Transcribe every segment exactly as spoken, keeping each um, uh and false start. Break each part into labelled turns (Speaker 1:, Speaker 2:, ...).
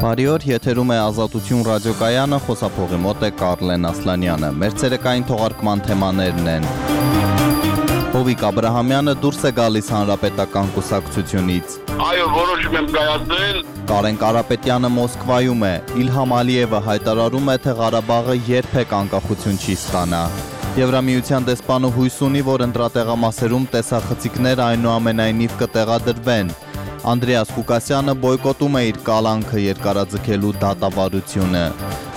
Speaker 1: Բարի օր, եթերում է Ազատություն ռադիոկայանը, խոսափողի մոտ է Կարլեն Ասլանյանը։ Մեր ցերեկային թողարկման թեմաներն են. Հովիկ Աբրահամյանը դուրս է գալիս հանրապետական կուսակցությունից։
Speaker 2: Այո, որոշում եմ կայացրել։
Speaker 1: Կարեն Կարապետյանը Մոսկվայում է։ Իլհամ Ալիևը հայտարարում է, թե Ղարաբաղը երբեք անկախություն չի ստանա։ Եվրամիության դեսպանը հույս ունի, որ ընտրատեղամասերում տեսախցիկներ այնուամենայնիվ կտեղադրվեն։ Անդրեաս Ղուկասյանը բոյկոտում է իր կալանքը երկարաձգելու դատավարությունը։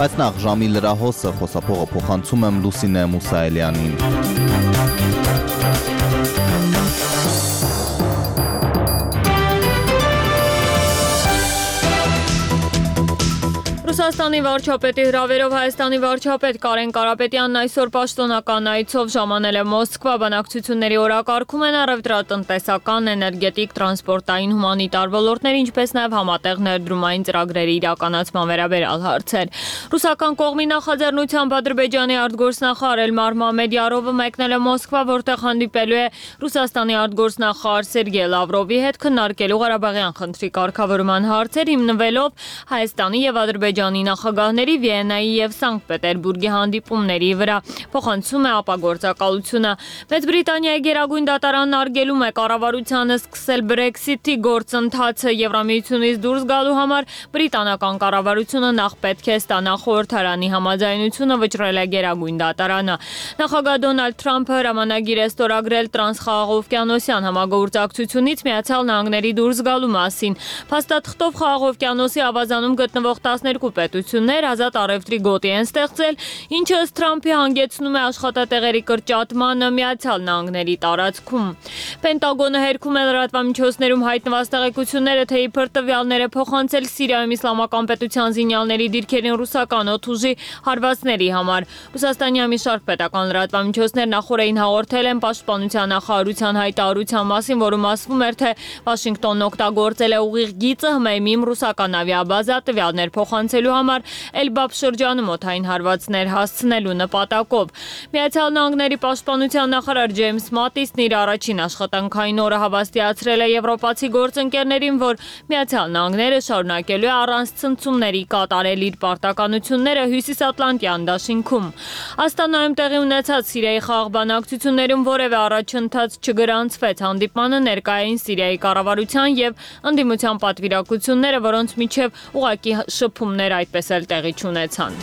Speaker 1: Բայց նախ ժամի լրահոսը խոսափողը փոխանցում եմ Լուսինե Մուսայելյանին։
Speaker 3: Ռուսաստանի վարչապետի հրավերով Հայաստանի վարչապետ Կարեն Կարապետյանն այսօր պաշտոնական այցով ժամանել է Մոսկվա։ Բանակցությունների օրակարգում են առևտրատնտեսական, էներգետիկ, տրանսպորտային, հումանիտար ոլորտներ, ինչպես նաև համատեղ ներդրումային ծրագրերի իրականացման վերաբերյալ հարցեր։ Ռուսական կողմի նախաձեռնությամբ Ադրբեջանի արտգործնախարար Էլմար Մամեդյարովը մեկնել է Մոսկվա, որտեղ հանդիպելու է Ռուսաստանի արտգործնախարար Սերգեյ Լավրովի հետ քննարկելու Ղարաբաղյան խնդրի կարգավորման հարցեր, հիմնվելով Հայաստանի եւ Ադրբեջանի նախագահների Վիեննայի եւ Սանկտ Պետերբուրգի հանդիպումների վրա, փոխանցում է ապագործակալությունը։ Մեծ Բրիտանիայի գերագույն դատարանն արգելում է կառավարությանը սկսել Brexit-ի գործընթացը։ Եվրամիությունից դուրս գալու համար բրիտանական կառավարությունը նախ պետք է ստանա խորհրդարանի համաձայնությունը, վճռել է գերագույն դատարանը։ Նախագահ Դոնալդ Թրամփը հրամանագիր է ստորագրել տրանսխաղաղօվկիանոսյան համագործակցությունից Միացյալ Նահանգների դուրս գալու մասին։ Փաստաթղթով Խաղաղօվկիանոսի ավազանում գտնվող տասներկու պետություններ ազատ առևտրի գոտի են ստեղծել, ինչը ըստ Թրամփի հանգեցնում է աշխատատեղերի կրճատմանը Միացյալ Նահանգների տարածքում։ Պենտագոնը հերքում է լրատվամիջոցներում հայտնված տեղեկությունները, թե իբր տվյալները փոխանցել Սիրիայում իսլամական պետության զինյալների դիրքերին ռուսական օդուժի հարվածների համար։ Ռուսաստանի մի շարք պետական լրատվամիջոցներ նախորդին հաղորդել են պաշտպանության նախարարության հայտարարության մասին, որում ասվում էր, թե Վաշինգտոնն օգտագործել է ուղիղ գիծը Հմեյմիմ ռուսական ավիաբազա տվյալներ փոխանցելու համար Էլբաբ շրջանում օդային հարվածներ հասցնելու նպատակով։ Միացյալ Նահանգների պաշտպանության նախարար Ջեյմս Մատիսն իր առաջին աշխատանքային օրը հավաստիացրել է եվրոպացի գործընկերներին, որ Միացյալ Նահանգները շարունակելու է առանց ցնցումների կատարել իր պարտականությունները Հյուսիսատլանտյան դաշինքում։ Աստանայում տեղի ունեցած Սիրիայի խաղաղ բանակցություններում որևէ առաջընթաց չգրանցվեց։ Հանդիպմանը ներկայ էին Սիրիայի կառավարության եւ ընդդիմության պատվիրակությունները, որոնց միջև ուղղակի շփումներ այդպես էլ տեղի չունեցան։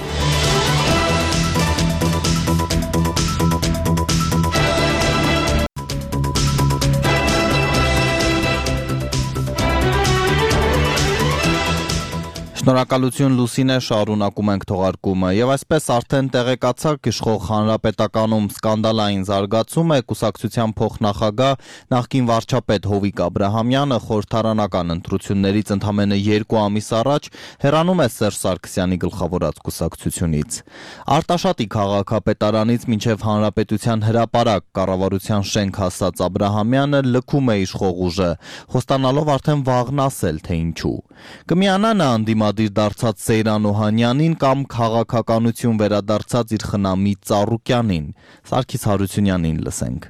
Speaker 1: Շնորհակալություն Լուսինե, շարունակում ենք թողարկումը։ Եվ այսպես արդեն տեղեկացաք, իշխող հանրապետականում սկանդալային զարգացում է։ Կուսակցության փոխնախագահ նախկին վարչապետ Հովիկ Աբրահամյանը խորհրդարանական ընտրություններից ընդամենը երկու ամիս առաջ հեռանում է Սերժ Սարգսյանի գլխավորած կուսակցությունից։ Արտաշատի քաղաքապետարանից մինչև հանրապետության հրապարակ կառավարության շենք հասած Աբրահամյանը լքում է իշխող ուժը, խոստանալով արդեն վաղն ասել, թե ինչու։ Կմիանա նա անդիմադիր դարձած Սեյրան Օհանյանին կամ քաղաքականություն վերադարձած իր խնամի Ծառուկյանին։ Սարգիս Հարությունյանին լսենք։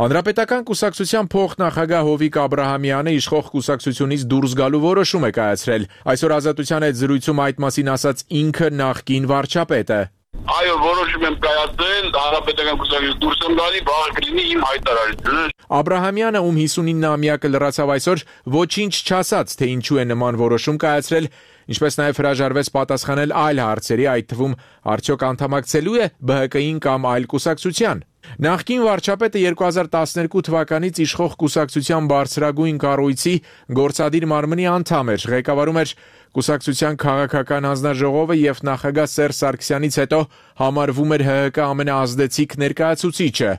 Speaker 4: Հանրապետական կուսակցության փոխնախագահ Հովիկ Աբրահամյանը իշխող կուսակցությունից դուրս գալու որոշում է կայացրել։ Այսօր Ազատության հետ զրույցում այդ մասին ասաց ինքը նախկին վարչապետը։
Speaker 2: Այո, որոշում եմ կայացրել, հանրապետական կուսակցությունից դուրս եմ գալի, վաղը կլինի իմ հայտարարությունը։
Speaker 4: Աբրահամյանը, ում հիսունինամյակը լրացավ այսօր, ոչինչ չասաց, թե ինչու է նման որոշում կայացրել, ինչպես նաև հրաժարվեց պատասխանել այլ հարցերի, այդ թվում արդյոք անդամակցելու է B H K-ին կամ այլ կուսակցության։ Նախկին վարչապետը երկու հազար տասներկու թվականից իշխող կուսակցության բարձրագույն կառույցի գործադիր մարմնի անդամ էր, ղեկավարում էր կուսակցության քաղաքական հանձնաժողովը եւ նախագահ Սերժ Սարգսյանից հետո համարվում էր H H K ամենաազդեցիկ ներկայացուցիչը։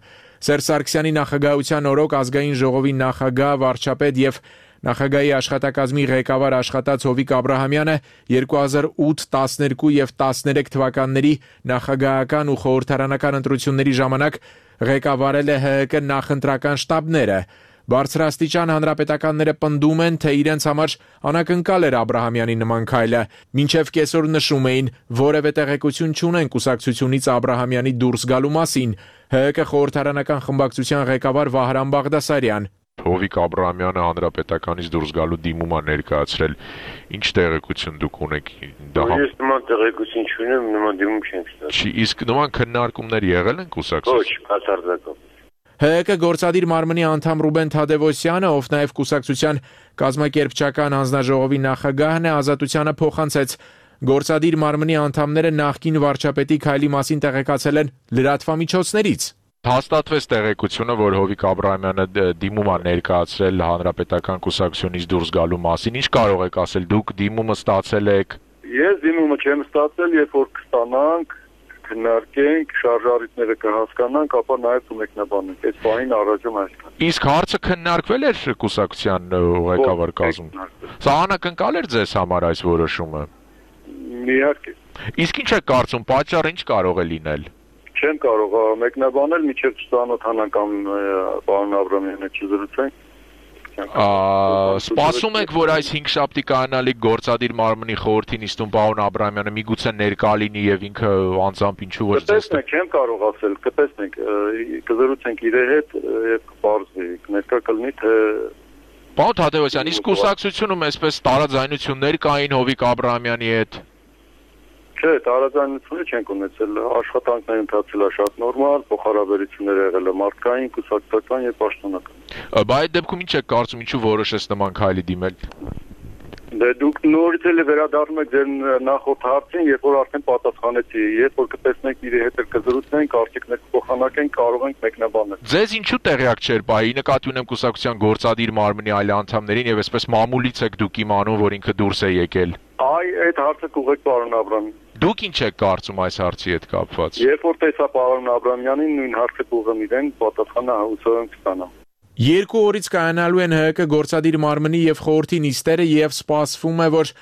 Speaker 4: Սերժ Սարգսյանի նախագահության օրոք ազգային ժողովի նախագահ, վարչապետ եւ Նախագահի աշխատակազմի ղեկավար աշխատած Հովիկ Աբրահամյանը երկու հազար ութ, տասներկու եւ տասներեք թվականների նախագահական ու խորհրդարանական ընտրությունների ժամանակ ղեկավարել է H H K նախընտրական շտաբները։ Բարձրաստիճան հանրապետականները պնդում են, թե իրենց համար անակնկալ էր Աբրահամյանի նման քայլը, մինչև կեսօր նշում էին, որևէ տեղեկություն չունեն կուսակցությունից Աբրահամյանի դուրս գալու մասին։ H H K խորհրդարանական խմբակցության ղեկավար Վահրամ Բաղդասարյան։
Speaker 5: Հովիկ Աբրահամյանը հանրապետականից դուրս գալու դիմում է ներկայացրել։ Ինչ տեղեկություն դուք ունեք դա։
Speaker 2: Ես նման տեղեկություն չունեմ, նման դիմում չեմ ստացել։
Speaker 5: Չի, իսկ նման քննարկումներ եղել են կուսակցություն։
Speaker 2: Ոչ, բացարձակապես։
Speaker 4: Հ Կ գործադիր մարմնի անդամ Ռուբեն Թադևոսյանը, ով նաև կուսակցության կազմակերպչական հանձնաժողովի նախագահն է, Ազատությանը փոխանցեց. Գործադիր մարմնի անդամները նախկին վարչապետի քայլի մասին տեղեկացել են լրատվամիջոցներից։
Speaker 5: Հաստատվեց տեղեկությունը, որ Հովիկ Աբրահամյանը դիմում է ներկայացրել հանրապետական կուսակցությունից դուրս գալու մասին։ Ինչ կարող եք ասել, դուք դիմումը ստացել եք։
Speaker 2: Ես դիմումը չեմ ստացել, երբ որ կստանանք, քննարկենք, շարժառիթները կհասկանանք, ապա նաև կմեկնաբանենք։ Այս բանին առաջում այսքան։
Speaker 5: Իսկ հարցը քննարկվել էր կուսակցության ղեկավար կազմում։ Սա անակնկալ էր ձեզ համար այս որոշումը։
Speaker 2: Իհարկե։
Speaker 5: Իսկ ինչ եք կարծում, պատճառը ինչ կարող է լինել։
Speaker 2: Չեմ կարող մեկնաբանել, մինչև չծանոթանանք կամ պարոն Աբրահամյանը չզրուցենք։
Speaker 5: Սպասում եք, որ այս հինգշաբթի կայանալիք գործադիր մարմնի խորհրդի նիստում պարոն Աբրահամյանը միգուցե ներկա լինի եւ ինքը անձամբ ինչու ոչ ձեզ։
Speaker 2: Կտեսնենք, չեմ կարող ասել, կտեսնենք, կզրուցենք իր հետ եւ կբարձվի, ներկա կլինի թե
Speaker 5: Պարոն Թադևոսյան, իսկ կուսակցությունում այսպես տարաձայնություններ կային Հովիկ Աբրահամյանի հետ։
Speaker 2: Չէ, տարաձայնություններ չենք ունեցել, աշխատանքներ ընթացել է շատ նորմալ, փոխհարաբերություններ եղել է մարդկային, կուսակցական եւ պաշտոնական։
Speaker 5: Բա այդ դեպքում ինչ եք կարծում, ինչու որոշեց նման քայլի դիմել։
Speaker 2: Դե դուք նորից էլ վերադառնում եք ձեր նախորդ հարցին, երբ որ արդեն պատասխանեցի, երբ որ կտեսնենք իր հետ կզրուցենք, արդյունքներ կփոխանակենք, կարող ենք մեկնաբանել։
Speaker 5: Ձեզ ինչու տեղյակ չէր բայի, նկատի ունեմ կուսակցության գործադիր մարմնի այլ անդամներին եւ այսպես մամուլից եք դուք իմանում, որ ինքը դուրս է եկել։
Speaker 2: Այ այդ հարցը կուղեք պարոն Աբրահամյան։
Speaker 5: Դուք ինչ եք կարծում այս հարցի հետ կապված։
Speaker 2: Երբ որ տեսա պարոն Աբրահամյանին, նույն հարցը կուղեմ իրեն, պատասխանը հուսով եմ կստանամ։
Speaker 4: Երկու օրից կայանալու են Հ Կ գործադիր մարմնի եւ խորհրդի նիստերը եւ սպասվում է, որ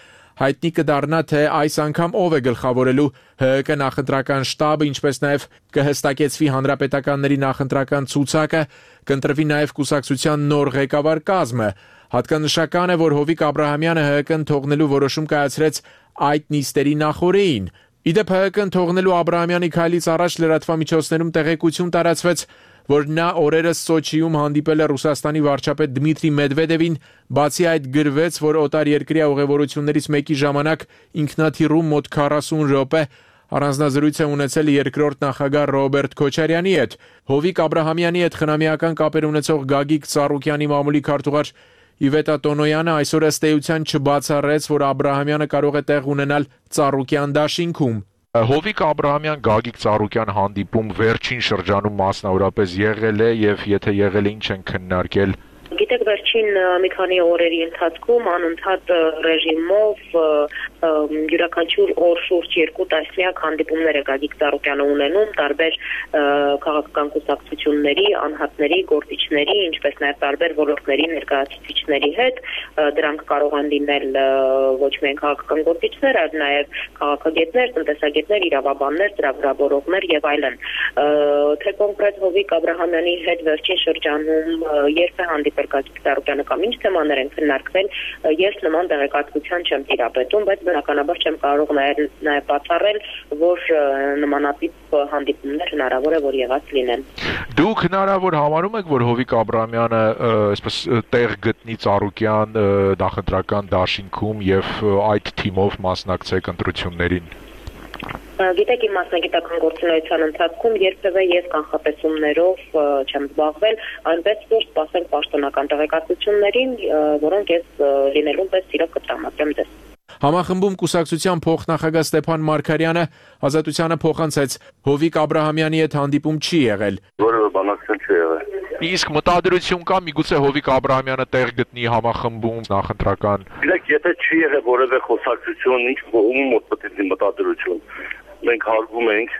Speaker 4: հայտնի կդառնա, թե այս անգամ ով է գլխավորելու Հ Կ նախընտրական շտաբը, ինչպես նաեւ կհստակեցվի հանրապետականների նախընտրական ցուցակը, կընտրվի նաեւ կուսակցության նոր ղեկավար կազմը։ Հատկանշական է, որ Հովիկ Աբրահամյանը Հ Կ-ն թողնելու որոշում կայացրեց այդ նիստերի նախօրեին։ Իդեպ Հ Կ-ն թողնելու Աբրահամյանի քայլից առաջ լրատվամիջոցներում տեղեկություն տարածվեց, որ նա օրերս Սոչիում հանդիպել է Ռուսաստանի վարչապետ Դմիտրի Մեդվեդևին, բացի այդ գրվեց, որ օտարերկրյա ուղևորություններից մեկի ժամանակ ինքնաթիռում մոտ քառասուն րոպե առանձնազրույց է ունեցել երկրորդ նախագահ Ռոբերտ Քոչարյանի հետ։ Հովիկ Աբրահամյանի հետ խնամիական կապեր ունեցող Գագիկ Ծառուկյանի մամուլի քարտուղար Իվետա Տոնոյանը այսօր ըստ էության չբացառեց, որ Աբրահամյանը կարող է տեղ ունենալ Ծառուկյան դաշինքում։
Speaker 5: Հովիկ Աբրահամյան Գագիկ Ծառուկյան հանդիպում վերջին շրջանում մասնավորապես եղել է եւ եթե եղել է ինչ են քննարկել։
Speaker 6: Գիտեք, վերջին մի քանի օրերի ընթացքում անընդհատ ռեժիմով յուրաքանչյուր օր շուրջ երկու տասնյակ հանդիպումներ է Գագիկ Ծառուկյանը ունենում տարբեր քաղաքական կուսակցությունների, անհատների, գործիչների, ինչպես նաև տարբեր ոլորտների ներկայացուցիչների հետ։ Դրանք կարող են լինել ոչ միայն քաղաքական գործիչներ, այլ նաև քաղաքագետներ, տնտեսագետներ, իրավաբաններ, ծրագրավորողներ եւ այլն։ Թե կոնկրետ Հովիկ Աբրահամյանի հետ վերջին շրջանում երբ է հանդիպել Գագիկ Ծառուկյանը կամ ինչ թեմաներ են քննարկվել, ես նման տեղեկատվության չեմ տիրապետում, բայց բնականաբար չեմ կարող նաև բացառել, որ նմանատիպ հանդիպումներ հնարավոր է որ եղած լինեն։
Speaker 5: Դուք հնարավոր համարում եք, որ Հովիկ Աբրահամյանը այսպես տեղ գտնի Ծառուկյան նախընտրական դաշինքում եւ այդ թիմով մասնակցեք ընտրություններին։
Speaker 6: Գիտեք, իմ մասնագիտական գործունեության ընթացքում երբևէ ես կանխատեսումներով չեմ զբաղվել, այնպես որ սպասենք պաշտոնական տեղեկատվություններին, որոնք ես լինելուն պես սիրով կտրամադրեմ ձեզ։
Speaker 4: Համախմբում կուսակցության փոխնախագահ Ստեփան Մարգարյանը Ազատությանը փոխանցեց. Հովիկ Աբրահամյանի հետ հանդիպում չի եղել։
Speaker 2: Որևէ բանակցություն չի եղել։
Speaker 5: Իսկ մտադրություն կա միգուցե Հովիկ Աբրահամյանը տեղ գտնի համախմբում նախընտրական։
Speaker 2: Գիտեք, եթե չի եղել որևէ խոսակցություն, ինչ ում մոտ պետք է մտադրություն։ Մենք հարգում ենք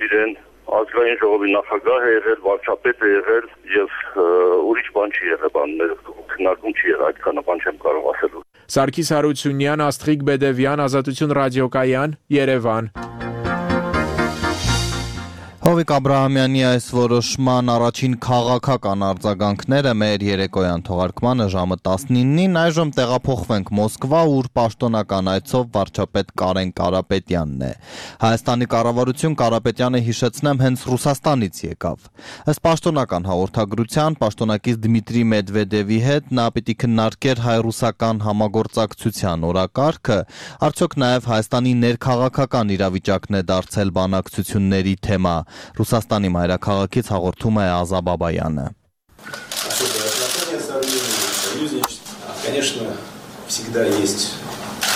Speaker 2: իրեն, ազգային ժողովի նախագահ է եղել, վարչապետ է եղել եւ ուրիշ բան չի եղել, բաններ քննարկում չի եղել, այդքանը բան չեմ կարող ասել։
Speaker 4: Սարգիս Հարությունյան, Աստղիկ Բեդևյան, Ազատություն ռադիոկայան, Երևան։
Speaker 1: Հովիկ Աբրահամյանի այս որոշման առաջին քաղաքական արձագանքները մեր երեկոյան թողարկմանը ժամը տասնինին, այժմ տեղափոխվենք Մոսկվա, ուր պաշտոնական այցով վարչապետ Կարեն Կարապետյանն է։ Հայաստանի կառավարություն Կարապետյանը, հիշեցնեմ, հենց Ռուսաստանից եկավ։ Ըստ պաշտոնական հաղորդագրության, պաշտոնակից Դմիտրի Մեդվեդևի հետ նա պիտի քննարկեր հայ-ռուսական համագործակցության օրակարգը, արդյոք նաև Հայաստանի ներքաղաքական իրավիճակն է դարձել բանակցությունների թեմա։ Ռուսաստանի մայրաքաղաքից հաղորդում է Ազա Բաբայանը։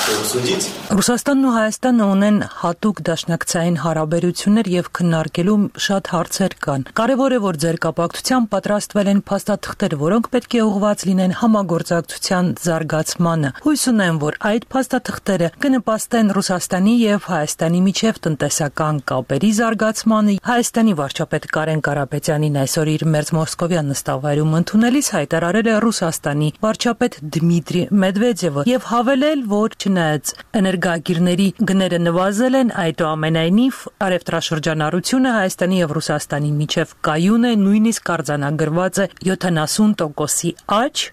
Speaker 7: Ռուսաստանն ու Հայաստանը ունեն հատուկ դաշնակցային հարաբերություններ եւ քննարկելու շատ հարցեր կան։ Կարևոր է, որ ձեր կապակցությամբ պատրաստվել են փաստաթղթեր, որոնք պետք է ուղղված լինեն համագործակցության զարգացմանը։ Հույս ունեմ, որ այդ փաստաթղթերը կնպաստեն Ռուսաստանի եւ Հայաստանի միջև տնտեսական կապերի զարգացմանը։ Հայաստանի վարչապետ Կարեն Կարապետյանին այսօր իր Մերձ Մոսկովյան նստավայրում ընդունելիս հայտարարել է Ռուսաստանի վարչապետ Դմիտրի Մեդվեդևը եւ հավելել, որ չնայած էներգագիրների գները նվազել են, այդուամենայնիվ առևտրաշրջանառությունը Հայաստանի եւ Ռուսաստանի միջև կայուն է, նույնիսկ արձանագրված է յոթանասուն տոկոսի աճ,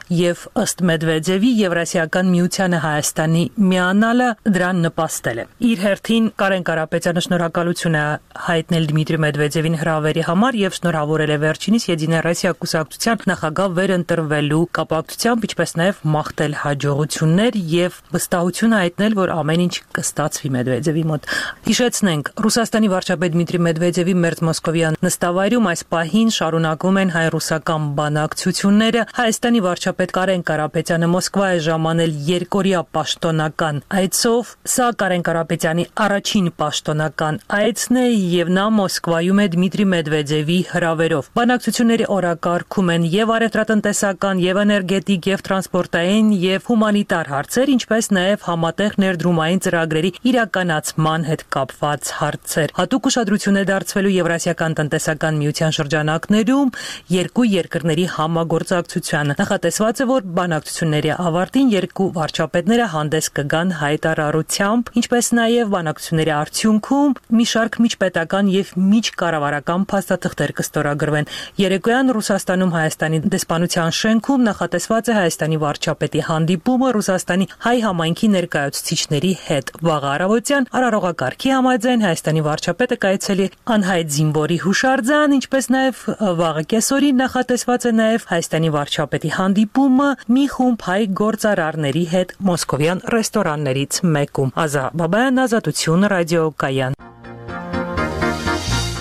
Speaker 7: եւ ըստ Մեդվեդևի Եվրասիական միությանը Հայաստանի միանալը դրան նպաստել է։ Իր հերթին Կարեն Կարապետյանը շնորհակալություն է հայտնել Դմիտրի Մեդվեդևին հրավերի համար եւ շնորհավորել է վերջինիս Եդինա Ռոսիա կուսակցության նախագահ վերընտրվելու կապակցությամբ, ինչպես նաեւ մաղթել հաջողություններ եւ վստահություն հայտնել, որ ամեն ինչ կստացվի Մեդվեդևի մոտ։ Հիշեցնենք, Ռուսաստանի վարչապետ Դմիտրի Մեդվեդևի Մերձ Մոսկովյան նստավայրում այս պահին շարունակվում են հայ-ռուսական բանակցությունները։ Հայաստանի վարչապետ Պետ Կարեն Կարապետյանը Մոսկվա է ժամանել երկօրյա պաշտոնական այցով։ Սա Կարեն Կարապետյանի առաջին պաշտոնական այցն է եւ նա Մոսկվայում է Դմիտրի Մեդվեդևի հրավերով։ Բանակցությունների օրակարգում են եւ առևտրատնտեսական, եւ էներգետիկ, եւ տրանսպորտային, եւ հումանիտար հարցեր, ինչպես նաեւ համատեղ ներդրումային ծրագրերի իրականացման հետ կապված հարցեր։ Հատուկ ուշադրություն է դարձվելու Եվրասիական տնտեսական միության շրջանակներում երկու երկրների համագործակցությանը։ Նախատեսված է, որ բանակցությունների ավարտին երկու վարչապետները հանդես կգան հայտարարությամբ, ինչպես նաև բանակցությունների արդյունքում մի շարք միջպետական եւ միջկառավարական փաստաթղթեր կստորագրվեն։ Երեկոյան Ռուսաստանում Հայաստանի դեսպանության շենքում նախատեսված է Հայաստանի վարչապետի հանդիպումը Ռուսաստանի հայ համայնքի ներկայացուցիչների հետ։ Վաղ առավոտյան արարողակարգի համաձայն Հայաստանի վարչապետը կայցելի անհայտ զինվորի հուշարձան, ինչպես նաև վաղը կեսօրին նախատեսված է նաև Հայաստանի վարչապետի հանդիպումը մի խումբ հայ գործարարների հետ մոսկովյան ռեստորաններից մեկում։ Ազա Բաբայան, Ազատություն, ռադիոկայան։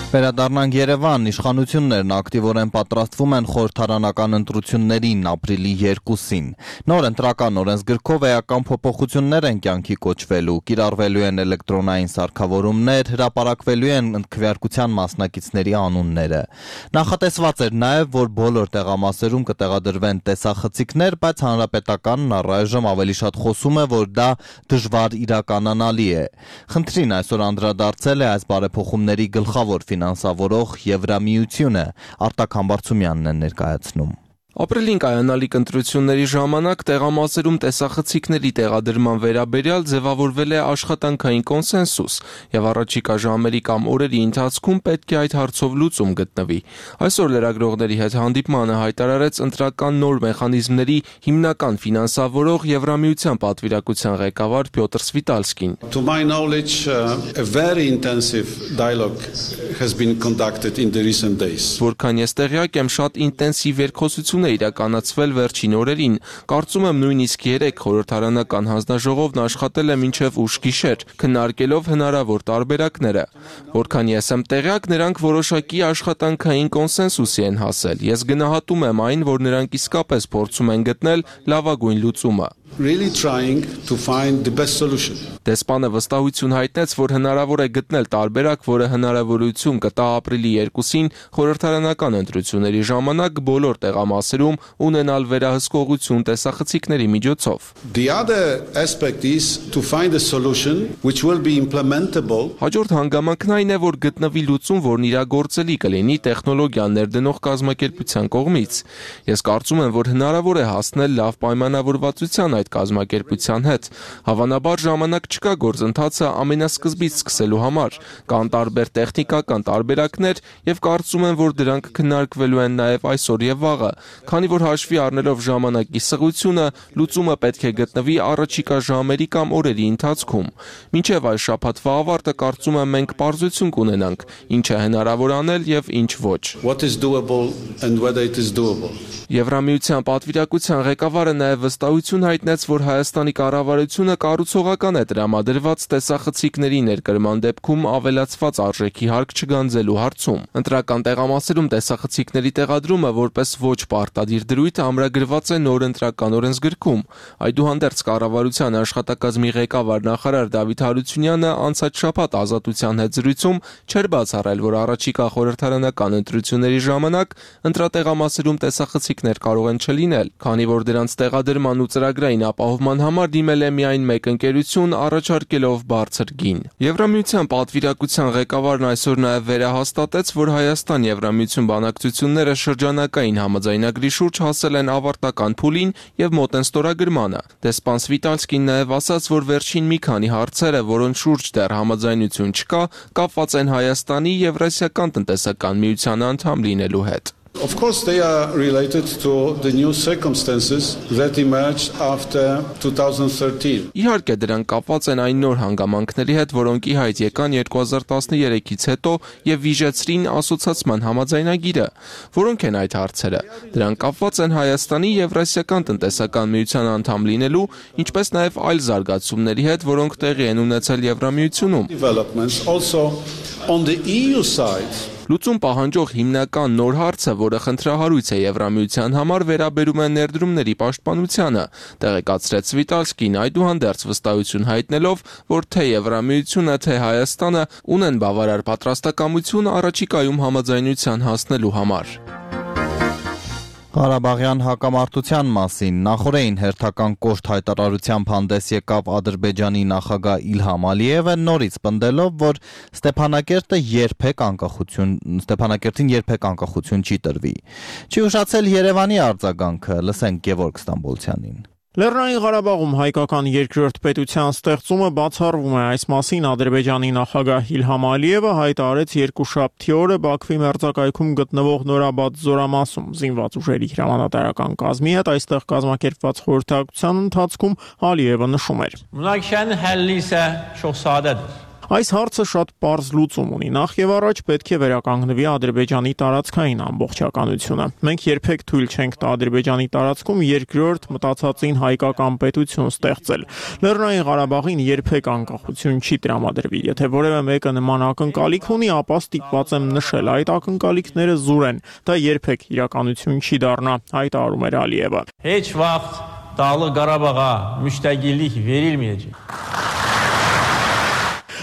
Speaker 1: Վերադառնանք Երևան, իշխանություններն ակտիվորեն պատրաստվում են խորհրդարանական ընտրություններին ապրիլի երկուսին։ Նոր ընտրական օրենսգրքով էական փոփոխություններ են կյանքի կոչվելու, կիրառվելու են էլեկտրոնային սարքավորումներ, հրապարակվելու են քվեարկության մասնակիցների անունները։ Նախատեսված էր նաև, որ բոլոր տեղամասերում կտեղադրվեն տեսախցիկներ, բայց հանրապետականն առայժմ ավելի շատ խոսում է, որ դա դժվար իրականանալի է։ Խնդրին այսօր անդրադարձել է այս բարեփոխումների գլխավոր ֆինանսավորող Եվրամիությունը, Արտակ Համբարձումյանն է ներկայացնում։
Speaker 8: Ապրիլին կայանալիք ընտրությունների ժամանակ տեղամասերում տեսախցիկների տեղադրման վերաբերյալ ձևավորվել է աշխատանքային կոնսենսուս եւ առաջիկա ժամերի կամ օրերի ընթացքում պետք է այդ հարցով լուծում գտնվի։ Այսօր լրագրողների հետ հանդիպմանը հայտարարեց ընտրական նոր մեխանիզմների հիմնական ֆինանսավորող Եվրամիության պատվիրակության ղեկավար Պյոտր Սվիտալսկին։
Speaker 9: To my knowledge, uh, a very intensive dialogue has been conducted in the recent days.
Speaker 8: Որքան ես տեղյակ եմ, շատ ինտենսիվ երկխոսություն իրականացվել վերջին օրերին։ Կարծում եմ նույնիսկ երեք խորհրդարանական հանձնաժողովն աշխատել է մինչև ուշ գիշեր, քննարկելով հնարավոր տարբերակները։ Որքան ես եմ տեղյակ, նրանք որոշակի աշխատանքային կոնսենսուսի են հասել։ Ես գնահատում եմ այն, որ նրանք իսկապես փորձում են գտնել լավագույն լուծումը։
Speaker 9: Really trying to find the best solution.
Speaker 8: Դեսպանը վստահություն հայտնեց, որ հնարավոր է գտնել տարբերակ, որը հնարավորություն կտա ապրիլի երկուսին խորհրդարանական ընտրությունների ժամանակ բոլոր տեղամասերում ունենալ վերահսկողություն տեսախցիկների միջոցով։
Speaker 9: The other aspect is to find a solution which will be implementable.
Speaker 8: Հաջորդ հանգամանքն այն է, որ գտնվի լուծում, որն իրագործելի կլինի տեխնոլոգիան ներդնող կազմակերպության կողմից։ Ես կարծում եմ, որ հնարավոր է հասնել լավ պայմանավորվածության այդ այդ կազմակերպության հետ։ Հավանաբար ժամանակ չկա գործընթացը ամենասկզբից սկսելու համար։ Կան տարբեր տեխնիկական տարբերակներ եւ կարծում եմ, որ դրանք քննարկվելու են նաեւ այսօր եւ վաղը, քանի որ հաշվի առնելով ժամանակի սղությունը, լուծումը պետք է գտնվի առաջիկա ժամերի կամ օրերի ընթացքում։ Մինչև այս շաբաթվա ավարտը կարծում եմ մենք պարզություն կունենանք, ինչ է հնարավոր անել եւ ինչ ոչ։
Speaker 9: What is doable and whether it is doable.
Speaker 8: Եվրամիության պատվիրակության ղեկավարը նաև վստահություն հայտնեց, որ Հայաստանի կառավարությունը կառուցողական է տրամադրված տեսախցիկների ներկրման դեպքում ավելացված արժեքի հարկ չգանձելու հարցում։ Ընտրական տեղամասերում տեսախցիկների տեղադրումը որպես ոչ պարտադիր դրույթ ամրագրված է նոր ընտրական օրենսգրքում։ Այդուհանդերձ կառավարության աշխատակազմի ղեկավար նախարար Դավիթ Հարությունյանը անցած շաբաթ Ազատության հետ զրույցում չէր բացառել, որ առաջիկա խորհրդարանական ընտրությունների ժամանակ ընտրատեղամասերում տեսախցիկներ կարող են չլինել, քանի որ դրանց տեղադրման ու ծրագրային ապահովման համար դիմել է միայն մեկ ընկերություն, առաջարկելով բարձր գին։ Եվրամիության պատվիրակության ղեկավարն այսօր նաև վերահաստատեց, որ Հայաստան-Եվրամիություն բանակցությունները շրջանակային համաձայնագրի շուրջ հասել են ավարտական փուլին եւ մոտ են ստորագրմանը։ Դեսպան Սվիտալսկին նաև ասաց, որ վերջին մի քանի հարցերը, որոնց շուրջ դեռ համաձայնություն չկա, կապված են Հայաստանի Եվրասիական տնտեսական միության անդամ լինելու հետ։
Speaker 9: Of course, they are related to the new circumstances that emerged after two thousand thirteen.
Speaker 8: Իհարկե դրանք կապված են այն նոր հանգամանքների հետ, որոնք ի հայտ եկան երկու հազար տասներեքից հետո եւ վիժեցրին ասոցիացման համաձայնագիրը։ Որոնք են այդ հարցերը։ Դրանք կապված են Հայաստանի Եվրասիական տնտեսական միության անդամ լինելու, ինչպես նաեւ այլ զարգացումների հետ, որոնք տեղի են ունեցել Եվրամիությունում։
Speaker 9: Developments also on the E U side.
Speaker 8: Լուծում պահանջող հիմնական նոր հարցը, որը խնդրահարույց է Եվրամիության համար, վերաբերում է ներդրումների պաշտպանությանը, տեղեկացրեց Սվիտալսկին, այդուհանդերձ վստահություն հայտնելով, որ թե Եվրամիությունը, թե Հայաստանը ունեն բավարար պատրաստակամություն առաջիկայում համաձայնության հասնելու համար։
Speaker 1: Ղարաբաղյան հակամարտության մասին նախորդին հերթական կոշտ հայտարարությամբ հանդես եկավ Ադրբեջանի նախագահ Իլհամ Ալիևը, նորից պնդելով, որ Ստեփանակերտը երբեք անկախություն, Ստեփանակերտին երբեք անկախություն չի տրվի։ Չի ուշացել Երևանի արձագանքը, լսենք Գևորգ Ստամբոլցյանին։
Speaker 10: Լեռնային Ղարաբաղում հայկական երկրորդ պետության ստեղծումը բացառվում է, այս մասին Ադրբեջանի նախագահ Իլհամ Ալիևը հայտարարեց երկուշաբթի օրը Բաքվի մերձակայքում գտնվող Նորաբադ զորամասում զինված ուժերի հրամանատարական կազմի հետ այստեղ կազմակերպված խորհրդակցության ընթացքում Ալիևը նշում էր.
Speaker 11: Մունաքշան հəllի isə çox sadədir.
Speaker 10: Այս հարցը շատ պարզ լուծում ունի, նախ եւ առաջ պետք է վերականգնվի Ադրբեջանի տարածքային ամբողջականությունը։ Մենք երբեք թույլ չենք տա Ադրբեջանի տարածքում երկրորդ մտածածին հայկական պետություն ստեղծել։ Լեռնային Ղարաբաղին երբեք անկախություն չի տրամադրվի։ Եթե որևէ մեկը նման ակնկալիք ունի, ապա ստիպված եմ նշել, այդ ակնկալիքները զուր են։ Դա երբեք իրականություն չի դառնա, հայտարարում էր Ալիևը։
Speaker 11: Heç vaxt Dağlıq Qarabağa müstəqillik verilməyəcək.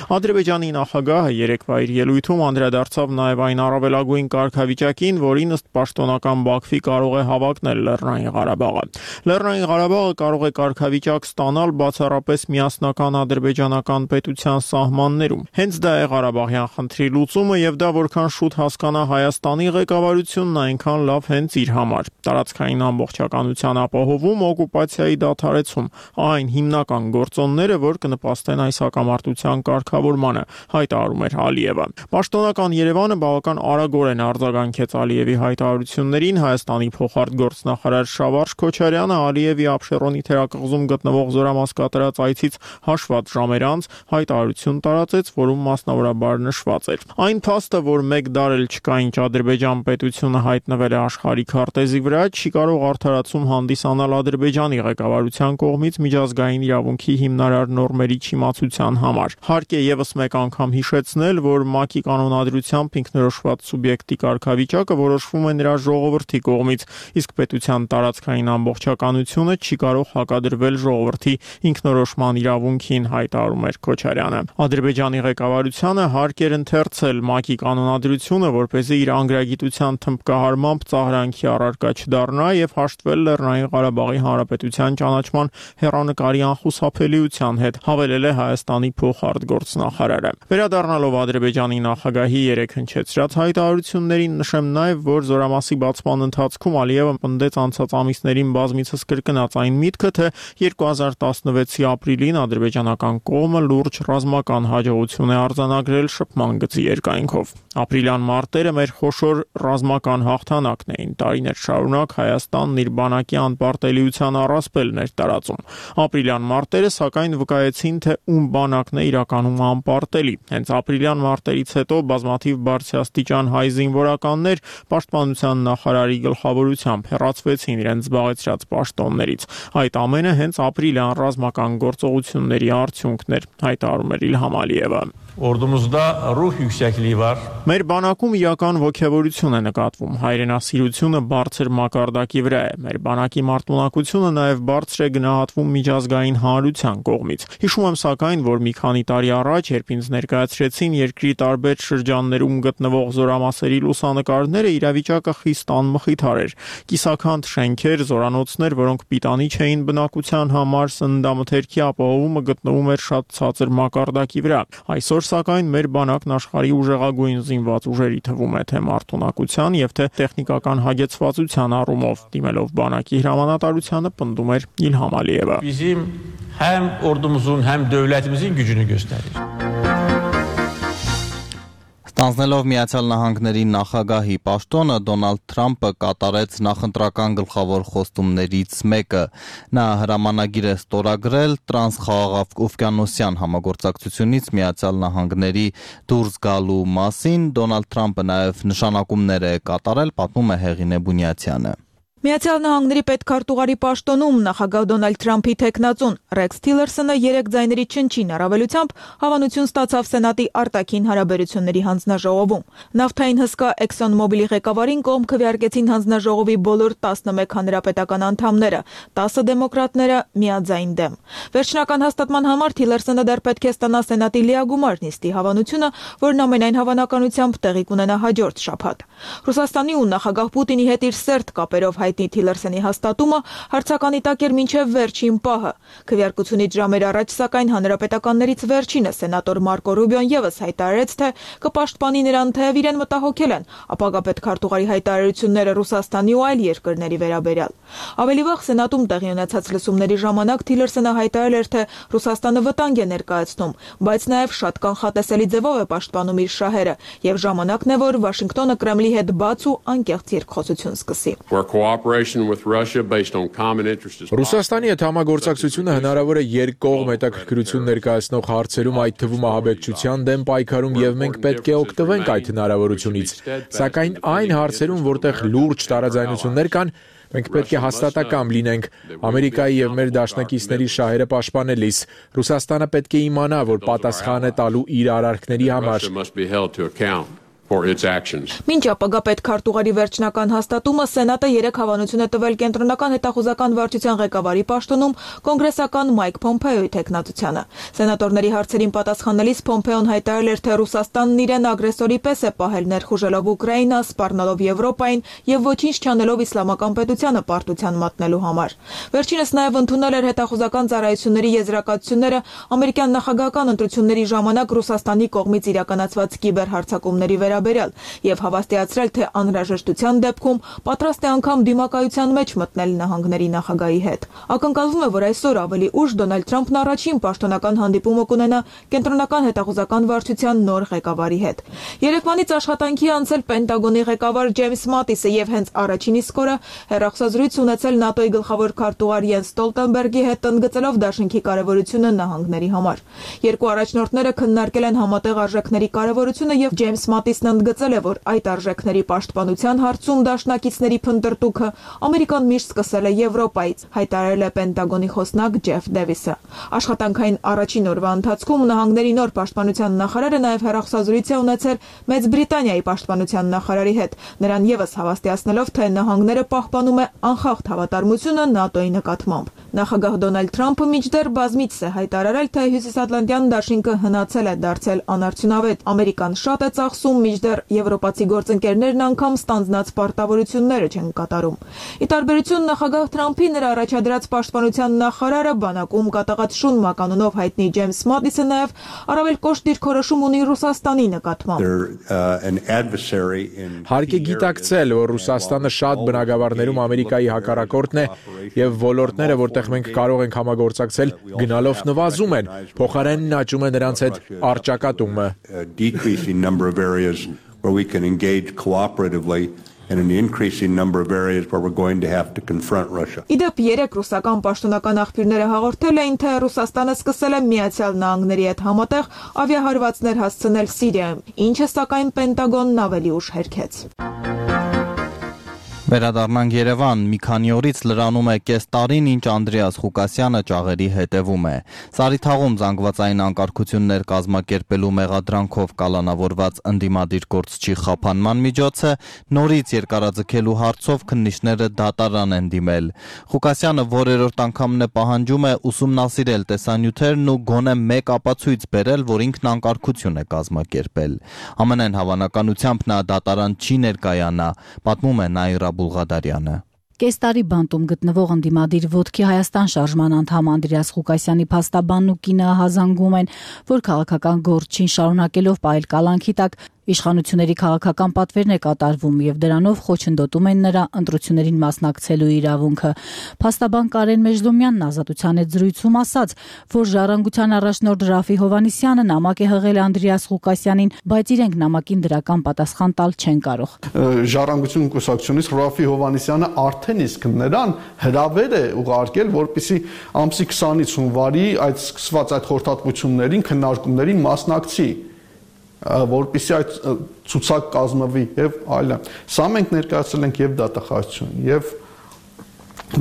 Speaker 10: Ադրբեջանի նախագահը երեկվա իր ելույթում անդրադարձավ նաև այն առավելագույն կարգավիճակին, որին ըստ պաշտոնական Բաքվի կարող է հավակնել Լեռնային Ղարաբաղը։ Լեռնային Ղարաբաղը կարող է կարգավիճակ ստանալ բացառապես միասնական ադրբեջանական պետության սահմաններում։ Հենց դա է Ղարաբաղյան խնդրի լուծումը եւ դա որքան շուտ հասկանա Հայաստանի ղեկավարությունն, այնքան լավ հենց իր համար։ Տարածքային ամբողջականության ապահովում, օկուպացիայի դադարեցում, այն հիմնական գործոնները, որ կնպաստեն այս հակամարտության կարգավորմանը, հայտարարում էր Ալիևը։ Պաշտոնական Երևանը բավական արագորեն արձագանքեց Ալիևի հայտարարություններին։ Հայաստանի փոխարտգործնախարար Շավարժ Քոչարյանը Ալիևի Աբշերոնի թերակղզում գտնվող զորամաս կատարած այցից հաշված ժամեր անց հայտարարություն տարածեց, որում մասնավորաբար նշված էր. Այն փաստը, որ մեկ դար էլ չկա, ինչ Ադրբեջան պետությունը հայտնվել է աշխարհի քարտեզի վրա, չի կարող արդարացում հանդիսանալ Ադրբեջանի ղեկավարության կողմից միջազգային իրավունքի հիմնարար նորմերի չիմացության համար։ Հարկ է եւս մեկ անգամ հիշեցնել, որ ՄԱԿ-ի կանոնադրությամբ ինքնորոշված սուբյեկտի կարգավիճակը որոշվում է նրա ժողովրդի կողմից, իսկ պետության տարածքային ամբողջականությունը չի կարող հակադրվել ժողովրդի ինքնորոշման իրավունքին, հայտարարում էր Քոչարյանը։ Ադրբեջանի ղեկավարությանը հարկ էր ընթերցել ՄԱԿ-ի կանոնադրությունը, որպեսզի իր անգրագիտության թմբկահարմամբ ծաղրանքի առարկա չդառնա եւ հաշտվել Լեռնային Ղարաբաղի Հանրապետության ճանաչման հեռանկարի անխուսափելիության հետ, հավելել է Հայաստանի փոխարտգործ փոխնախարարը։ Վերադառնալով Ադրբեջանի նախագահի երեք հնչեցրած հայտարարություններին, նշեմ նաև, որ զորամասի բացման ընթացքում Ալիևը պնդեց անցած ամիսներին բազմիցս կրկնած այն միտքը, թե երկու հազար տասնվեցի ապրիլին ադրբեջանական կողմը լուրջ ռազմական հաջողություն է արձանագրել շփման գծի երկայնքով։ Ապրիլյան մարտերը մեր խոշոր ռազմական հաղթանակն էին։ Տարիներ շարունակ Հայաստանն իր բանակի անպարտելիության առասպելն էր տարածում։ Ապրիլյան մարտերը սակայն վկայեցին, թե ում բանակն է իրականում անպարտելի։ Հենց ապրիլյան մարտերից հետո բազմաթիվ բարձրաստիճան հայ զինվորականներ պաշտպանության նախարարի գլխավորությամբ հեռացվեցին իրենց զբաղեցրած պաշտոններից։ Այդ ամենը հենց ապրիլյան ռազմական գործողությունների արդյունքն էր, հայտարարում էր Իլհամ Ալիևը։
Speaker 11: Ordumuzda ruh yüksekliği var.
Speaker 10: Մեր բանակում իրական ոգևորություն է նկատվում, հայրենասիրությունը բարձր մակարդակի վրա է, մեր բանակի մարտունակությունը նաև բարձր է գնահատվում միջազգային հանրության կողմից։ Հիշում եմ սակայն, որ մի քանի տարի առաջ, երբ ինձ ներկայացրեցին երկրի տարբեր շրջաններում գտնվող զորամասերի լուսանկարները, իրավիճակը խիստ անմխիթար էր։ Կիսաքանդ շենքեր, զորանոցներ, որոնք պիտանի չէին բնակության համար, սննդամթերքի ապահովումը գտնվում էր շատ ցածր մակարդակի վրա։ Այսօր սակայն մեր բանակն աշխարհի ուժեղագույն զինված ուժերի թվում է թե մարտունակության եւ թե տեխնիկական հագեցվածության առումով, դիմելով բանակի հրամանատարությանը պնդում էր Իլհամ Ալիևը։
Speaker 11: Bizim hem ordumuzun hem devletimizin gücünü gösterir.
Speaker 1: Ստանձնելով Միացյալ Նահանգների նախագահի պաշտոնը, Դոնալդ Թրամփը կատարեց նախընտրական գլխավոր խոստումներից մեկը։ Նա հրամանագիր է ստորագրել տրանսխաղաղօվկիանոսյան համագործակցությունից Միացյալ Նահանգների դուրս գալու մասին։ Դոնալդ Թրամփը նաև նշանակումներ է կատարել, պատմում է Հեղինե Բունյացյանը։
Speaker 12: Միացյալ Նահանգների պետքարտուղարի պաշտոնում նախագահ Դոնալդ Թրամփի թեկնածուն Ռեքս Թիլերսոնը երեք ձայների չնչին առավելությամբ հավանություն ստացավ Սենատի արտաքին հարաբերությունների հանձնաժողովում։ Նավթային հսկա Exxon Mobil-ի ղեկավարին կողմ քվեարկեցին հանձնաժողովի բոլոր տասնմեկ հանրապետական անդամները, տասը դեմոկրատները միաձայն դեմ։ Վերջնական հաստատման համար Թիլերսոնը դեռ պետք է ստանա Սենատի լիագումար նիստի հավանությունը, որն ամենայն հավանականությամբ տեղի կունենա հաջորդ շաբաթ։ Ռուսաստանի ու նախագահ Պուտինի հետ իր սերտ կապերով հայտնի Թիլերսոնի հաստատումը հարցականի տակ էր մինչև վերջին պահը։ Քվեարկությունից ժամեր առաջ սակայն հանրապետականներից վերջինը սենատոր Մարկո Ռուբիոն եւս հայտարարեց, թե կպաշտպանի նրան, թեև իրեն մտահոգել են ապագա պետքարտուղարի հայտարարությունները Ռուսաստանի ու այլ երկրների վերաբերյալ։ Ավելի վաղ Սենատում տեղի ունեցած լսումների ժամանակ Թիլերսոնը հայտարարել էր, թե Ռուսաստանը վտանգ է ներկայացնում, բայց նաև շատ կանխատեսելի ձևով է պաշտպանում իր շահերը, եւ ժամանակն է, որ Վաշինգտոնը Կրեմլի հետ բաց ու անկեղծ երկխոսություն սկսի։
Speaker 4: Ռուսաստանի հետ համագործակցությունը հնարավոր է երկկողմ հետաքրքրություն ներկայացնող հարցերում, այդ թվում ահաբեկչության դեմ պայքարում, եւ մենք պետք է օգտվենք այդ հնարավորությունից։ Սակայն այն հարցերում, որտեղ լուրջ տարաձայնություններ կան, մենք պետք է հաստատակամ լինենք Ամերիկայի եւ մեր դաշնակիցների շահերը պաշտպանելիս։ Ռուսաստանը պետք է իմանա, որ պատասխան է տալու իր արարքների համար։
Speaker 12: Մինչ ապագա պետքարտուղարի վերջնական հաստատումը Սենատը երեք հավանություն է տվել կենտրոնական հետախուզական վարչության ղեկավարի պաշտոնում կոնգրեսական Մայք Փոմփեոյի թեկնածությանը։ Սենատորների հարցերին պատասխանելիս Փոմփեոն հայտարարել էր, թե Ռուսաստանն իրեն ագրեսորի պես է պահել ներխուժելով Ուկրաինա, սպառնալով Եվրոպային եւ ոչինչ չանելով իսլամական պետությանը պարտության մատնելու համար։ Վերջինս նաեւ ընդունել էր հետախուզական ծառայությունների եզրակացությունները ամերիկյան նախագահական ընտրությունների ժամանակ Ռուսաստանի կողմից իրականացված կիբերհարձակումների վրա եւ հավաստիացրել, թե անհրաժեշտության դեպքում պատրաստ է անգամ դիմակայության մեջ մտնել նահանգների նախագահի հետ։ Ակնկալվում է, որ այսօր ավելի ուշ Դոնալդ Թրամփն առաջին պաշտոնական հանդիպումը կունենա կենտրոնական հետախուզական վարչության նոր ղեկավարի հետ։ Երեկվանից աշխատանքի անցել Պենտագոնի ղեկավար Ջեյմս Մատիսը եւ հենց առաջին իսկ օրը հեռախոսազրույց ունեցել ՆԱՏՕ-ի գլխավոր քարտուղար Յենս Ստոլտենբերգի հետ, ընդգծելով դաշինքի կարեւորությունը նահանգների համար։ Երկու առաջնորդները քննարկել են համատեղ արժեքների կարեւորությունը եւ Ջեյմս Մատիսն ընդգծել է, որ այդ արժեքների պաշտպանության հարցում դաշնակիցների փնտրտուքը Ամերիկան միշտ սկսել է Եվրոպայից, հայտարարել է Պենտագոնի խոսնակ Ջեֆ Դեվիսը։ Աշխատանքային առաջին օրվա ընթացքում նահանգների նոր պաշտպանության նախարարը նաև հեռախոսազրույց է ունեցել Մեծ Բրիտանիայի պաշտպանության նախարարի հետ, նրան եւս հավաստիացնելով, թե նահանգները պահպանում է անխախտ հավատարմությունը ՆԱՏՕ-ի նկատմամբ։ Նախագահ Դոնալդ Թրամփը մինչդեռ բազմիցս է հայտարարել, թե Հյուսիսատլանտյան դաշինքը հնացել է դարձել անարդյունավետ։ Ամերիկան շատ է ծախսում, մինչդեռ եվրոպացի գործընկերներն անգամ ստանձնած պարտավորությունները չեն կատարում։ Ի տարբերություն նախագահ Թրամփի, նրա առաջադրած պաշտպանության նախարարը բանակում կատաղած շուն մականունով հայտնի Ջեյմս Մատիսը նաև առավել կոշտ դիրքորոշում ունի Ռուսաստանի նկատմամբ։
Speaker 4: Հարկ է գիտակցել, որ Ռուսաստանը շատ բնագավառներում Ամերիկայի հակառակորդն է եւ ոլորտները, որտեղ մենք կարող ենք համագործակցել, գնալով նվազում են, փոխարենն աճում է նրանց հետ առճակատումը։
Speaker 13: And an increasing number of areas where we're going to have to confront Russia.
Speaker 12: Իդեպ երեք ռուսական պաշտոնական աղբյուրները հաղորդել էին, թե Ռուսաստանը սկսել է Միացյալ Նահանգների հետ համատեղ ավիահարվածներ հասցնել Սիրիայում, ինչը սակայն Պենտագոնն ավելի ուշ հերքեց։
Speaker 1: Վերադառնանք Երևան, մի քանի օրից լրանում է կես տարին, ինչ Անդրեաս Ղուկասյանը ճաղերի հետևում է։ Սարիթաղում զանգվածային անկարգություններ կազմակերպելու մեղադրանքով կալանավորված ընդդիմադիր գործչի խափանման միջոցը նորից երկարաձգելու հարցով քննիչները դատարան են դիմել։ Ղուկասյանը որերորդ անգամն է պահանջում է ուսումնասիրել տեսանյութերն ու գոնե մեկ ապացույց բերել, որ ինքն անկարգություն է կազմակերպել։ Ամենայն հավանականությամբ նա դատարան չի ներկայանա, պատմում է Նաիրա Բուլղադարյանը։
Speaker 14: Կես տարի բանտում գտնվող ընդդիմադիր ոտքի Հայաստան շարժման անդամ Անդրեաս Ղուկասյանի փաստաբանն ու կինը հազանգում են, որ քաղաքական գործչին շարունակելով պահել կալանքի տակ իշխանությունների քաղաքական պատվերն է կատարվում եւ դրանով խոչընդոտում են նրա ընտրություններին մասնակցելու իրավունքը։ Փաստաբան Կարեն Մեժլոմյանն Ազատության հետ զրույցում ասաց, որ Ժառանգության առաջնորդ Ռաֆի Հովհաննիսյանը նամակ է հղել Անդրեաս Ղուկասյանին, բայց իրենք նամակին դրական պատասխան տալ չեն կարող։
Speaker 15: Ժառանգություն կուսակցությունից Ռաֆի Հովհաննիսյանը արդեն իսկ նրան հրավեր է ուղարկել, որպեսզի ամսի քսանից հունվարի այդ սկսված այդ խորհրդատվություններին, քննարկումներին մասնակցի, որպեսզի այդ ցուցակ կազմվի եւ այլն։ Սա մենք ներկայացրել ենք եւ դատախազություն եւ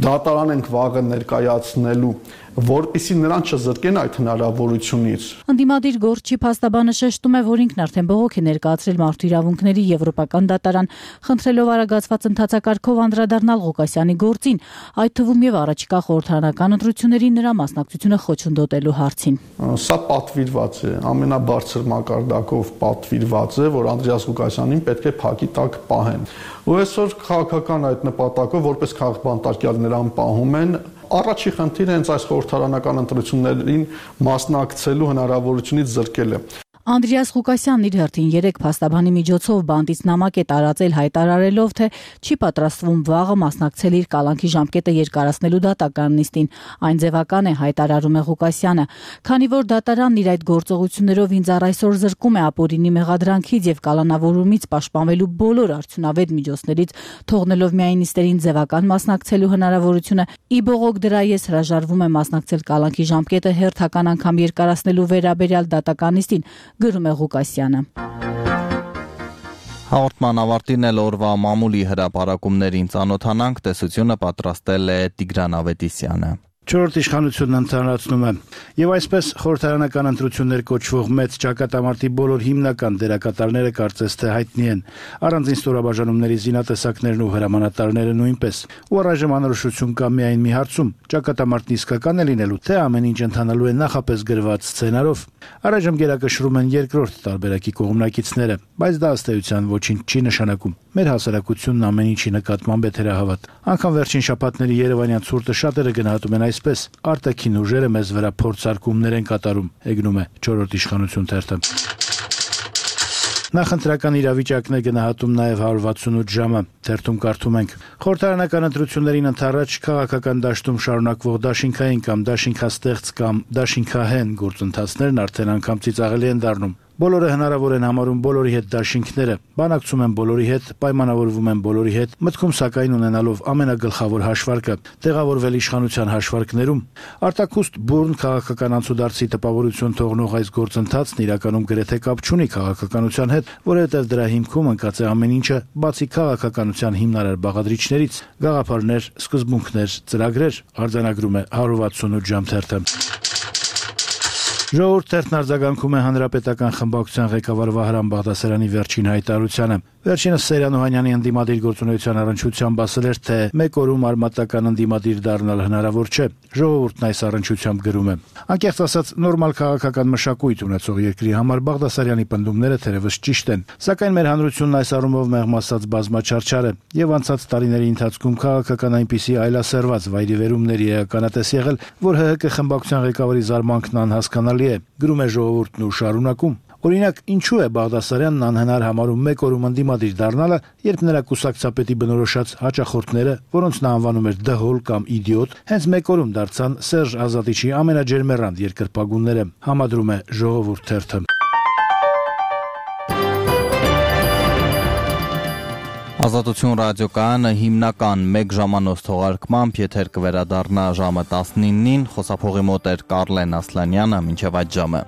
Speaker 15: դատարան ենք վաղը ներկայացնելու, որպեսզի նրան չզրկեն այդ հնարավորությունից։
Speaker 14: Ընդդիմադիր գործչի փաստաբանը շեշտում է, որ ինքն արդեն բողոք է ներկայացրել մարդու իրավունքների եվրոպական դատարան, խնդրելով արագացված ընթացակարգով անդրադառնալ Ղուկասյանի գործին, այդ թվում եւ առաջիկա խորհրդարանական ընտրությունների նրա մասնակցությունը խոչընդոտելու հարցին։
Speaker 15: Սա պատվիրված է, ամենաբարձր մակարդակով պատվիրված է, որ Անդրեաս Ղուկասյանին պետք է փակի տակ պահեն։ Ու այսօր քաղաքական այդ նպատակով որպես քաղաքբանտարկյալ նրան պահում են։ Առաջի խնդիրը հենց այս խորհրդարանական ընտրություններին մասնակցելու հնարավորությունից զրկել է։
Speaker 14: Անդրեաս Ղուկասյանն իր հերթին երեք փաստաբանի միջոցով բանտից նամակ է տարածել հայտարարելով, թե չի պատրաստվում վաղը մասնակցել իր կալանքի ժամկետը երկարացնելու դատական նիստին։ Այն ձևական է, հայտարարում է Ղուկասյանը, քանի որ դատարանն իր այդ գործողություններով ինձ առ այսօր զրկում է ապօրինի մեղադրանքից եւ կալանավորումից պաշտպանվելու բոլոր արդյունավետ միջոցներից, թողնելով միայն նիստերին ձևական մասնակցելու հնարավորությունը։ Ի բողոք դրա ես հրաժարվում եմ մասնակցել կալանքի ժամկետը հերթական անգամ երկարացնելու վերաբերյալ դատական նիստին, գրում է Ղուկասյանը։
Speaker 1: Հաղորդման ավարտին էլ օրվա մամուլի հրապարակումներին ծանոթանանք, տեսությունը պատրաստել է Տիգրան Ավետիսյանը։
Speaker 16: Չորրորդ իշխանությունն ընդհանրացնում է եւ այսպես խորհրդարանական ընտրություններ կոչվող մեծ ճակատամարտի բոլոր հիմնական դերակատարները կարծես թե հայտնի են, առանձին ստորաբաժանումների զինատեսակներն ու հրամանատարները նույնպես։ Ու առայժմ անորոշություն կա միայն մի հարցում՝ ճակատամարտն իսկական է լինելու, թե ամեն ինչ ընթանալու է նախապես գրված սցենարով։ Առայժմ գերակշռում են երկրորդ տարբերակի կողմնակիցները, բայց դա ըստ էության ոչինչ չի նշանակում։ Մեր հասարակությունն ամեն ինչի նկատմամբ է թերահավատ։ Անկամ վերջին շաբաթների Երևանյան ցուրտը շատերը գնահատում են այսպես. արտաքին ուժերը մեզ վրա փորձարկումներ են կատարում, եկնում է չորրորդ իշխանություն թերթը։ Նախընտրական իրավիճակն է գնահատում նաև հարյուր վաթսունութ ժամը, թերթում կարդում ենք. խորհրդարանական ընտրություններին ընդառաջ քաղաքական դաշտում շարունակվող դաշինքային կամ դաշինքաստեղծ կամ դաշինքահեն գործընթացներն արդեն անգամ ծիծաղելի են դառնում։ Բոլորը հնարավոր են համարում բոլորի հետ դաշինքները, բանակցում են բոլորի հետ, պայմանավորվում են բոլորի հետ, մտքում սակայն ունենալով ամենագլխավոր հաշվարկը՝ տեղավորվել իշխանության հաշվարկներում։ Արտաքուստ բուրն քաղաքական անցուդարձի տպավորություն թողնող այս գործընթացն իրականում գրեթե կապ չունի քաղաքականության հետ, որովհետև դրա հիմքում ընկած է ամեն ինչը, բացի քաղաքականության հիմնարար բաղադրիչներից, գաղափարներ, սկզբունքներ, ծրագրեր, արձանագրում է հարյուր վաթսունութ ժամ թերթը։ Ժողովուրդ թերթն արձագանքում է հանրապետական խմբակցության ղեկավար Վահրամ Բաղդասարյանի վերջին հայտարարությանը։ Վերջինս Սերյան Օհանյանի ընդդիմադիր գործունեության առնչությամբ ասել էր, թե մեկ օրում արմատական ընդդիմադիր դառնալ հնարավոր չէ։ Ժողովուրդն այս առնչությամբ գրում է. Անկեղծ ասած, նորմալ քաղաքական մշակույթ ունեցող երկրի համար Բաղդասարյանի պնդումները թերևս ճիշտ են, սակայն մեր հանրությունն այս առումով մեղմ ասած բազմաչարչար է, եւ անցած տարիների ընթացքում քաղաքական այնպիսի այլասերված վայրիվերումների էականատես եղել, որ ՀՀԿ խմբակցության ղեկավարի զարմանքն անհասկանալի է, գրում է ժողովուրդն ու շարունակում. Օրինակ, ինչու է Բաղդասարյանն անհնար համարում մեկ օրում ընդդիմադիր դառնալը, երբ նրա կուսակցապետի բնորոշած հաճախորդները, որոնց նա անվանում էր դհոլ կամ իդիոտ, հենց մեկ օրում դարձան Սերժ Ազատիչի ամենաջերմեռանդ երկրպագունները, համադրում է Ժողովուրդ թերթը։
Speaker 1: Ազատություն ռադիոկայանը հիմնական մեկ ժամանոց թողարկմամբ եթեր կվերադառնա ժամը տասնինին, խոսափողի մոտ էր Կարլեն Ասլանյանը, մինչև այդ ժամը։